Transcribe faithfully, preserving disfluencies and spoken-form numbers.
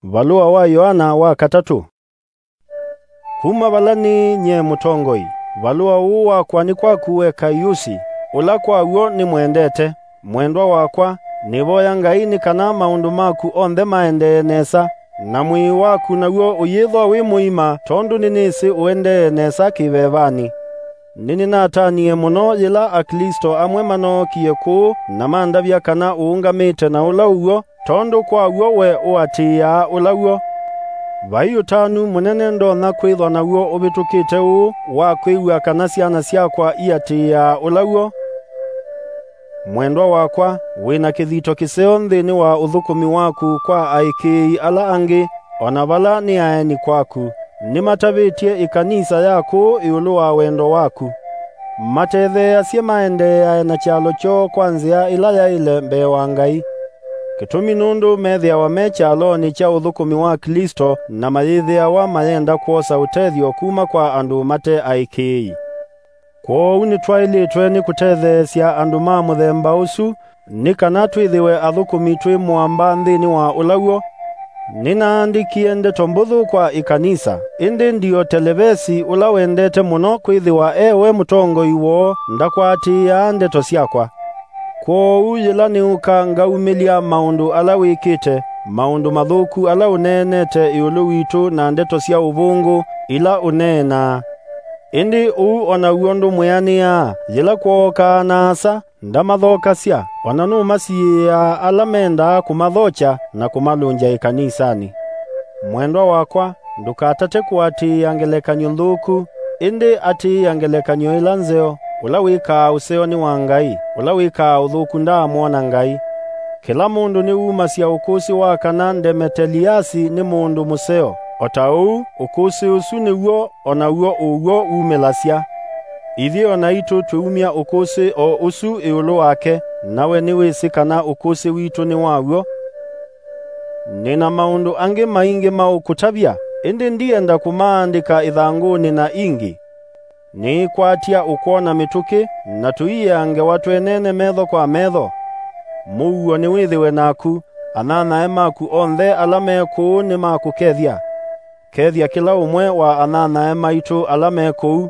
Valũa wa Yoana wa katatũ. Kuma vala nĩ nyie mũtongoi, valũa ũũ wakwa nĩ kwaku we Kaiusi, ũla kwa w'o nĩmwendete. Mwendwa wakwa, nĩvoya Ngai nĩ kana maũndũ maku onthe maendee nesa, na mwĩĩ waku naw'o ũyĩthwa wĩ mũima, tondũ nĩnĩsĩ ũendee nesa kĩvevanĩ. Nĩnĩnatanie mũno yĩla Aklĩsto amwe manookie kũũ na mandavya kana ũũngamĩte na ũla ũw'o, tondũ kwa w'o we ũatĩĩaa ũla w'o. Vai ũtanu mũnene ndonya kwĩthwa naw'o ũvĩtũkĩte ũũ wa kwĩw'a kana syana syakwa iatĩĩaa ũla w'o. Mwendwa wakwa, wĩ na kĩthito kĩseo nthĩnĩ wa ũthũkũmi waku kwa aĩkĩĩi ala angĩ, o na vala nĩ aeni kwaku. Nĩmatavĩtye ĩkanisa ya kũũ ĩũlũ wa wendo waku. Matetheeasye maendeeae na kyalo kyoo kwa nzĩa ĩla yaĩle mbee wa Ngai. Kĩtumi nũndũ methĩawa me kyalonĩ kya ũthũkũmi wa Klĩsto na mayĩthĩawa mayenda kwosa ũtethyo kuma kwa andũ mate aĩkĩĩi. Kwoou nĩtwaĩlĩtwe nĩ kũtetheesya andũ ma mũthemba ũsu, nĩ kana twĩthĩwe athũkũmi twĩ mũamba nthĩnĩ wa ũla w'o. Nĩnaandĩkie ndeto mbũthũ kwa ĩkanisa, ĩndĩ Ndiotelevesi, ũla wendete mũno kwĩthĩwa e we mũtongoi woo, ndakwatĩĩaa ndeto syakwa. Kwoou yĩla nĩũka ngaumĩlya maũndũ ala wĩkĩte, maũndũ mathũku ala ũneenete ĩũlũ witũ na ndeto sya ũvũngũ ila ũneenaa. Ĩndĩ ũu o naw'o ndũmwĩanĩaa, yĩla kwookaa na asa, ndamathokasya, o na nũmasiĩĩaa ala mendaa kũmathokya na kũmalũngya ĩkanisanĩ. Mwendwa wakwa, ndũkatate kũatĩĩa ngelekany'o nthũku, ĩndĩ atĩĩa ngelekany'o ĩla nzeo. Ũla wĩkaa ũseo nĩ wa Ngai, ũla wĩkaa ũthũku ndaamwona Ngai. Kĩla mũndũ nĩwumasya ũkũsĩ wa kana Ndemeteliasi nĩ mũndũ mũseo, o ta ũu ũkũsĩ ũsu nĩw'o o naw'o ũw'o wumĩlasya. Ithyĩ o naitũ twĩumya ũkũsĩ o ũsu ĩũlũ wake, na we nĩwĩsĩ kana ũkũsĩ witũ nĩ wa w'o. Nĩ na maũndũ angĩ maingĩ ma ũkũtavya, ĩndĩ ndienda kũmaandĩka ĩthangũnĩ na ingĩ. Nĩĩkwatya ũkwona mĩtũkĩ, na tũiea ngewa twenene metho kwa metho. Mũuo nĩwĩthĩwe naku, anyanyae maku onthe ala me kũũ nĩmakũkethya. Kethya kĩla ũmwe wa anyanyae maitũ ala me kũu,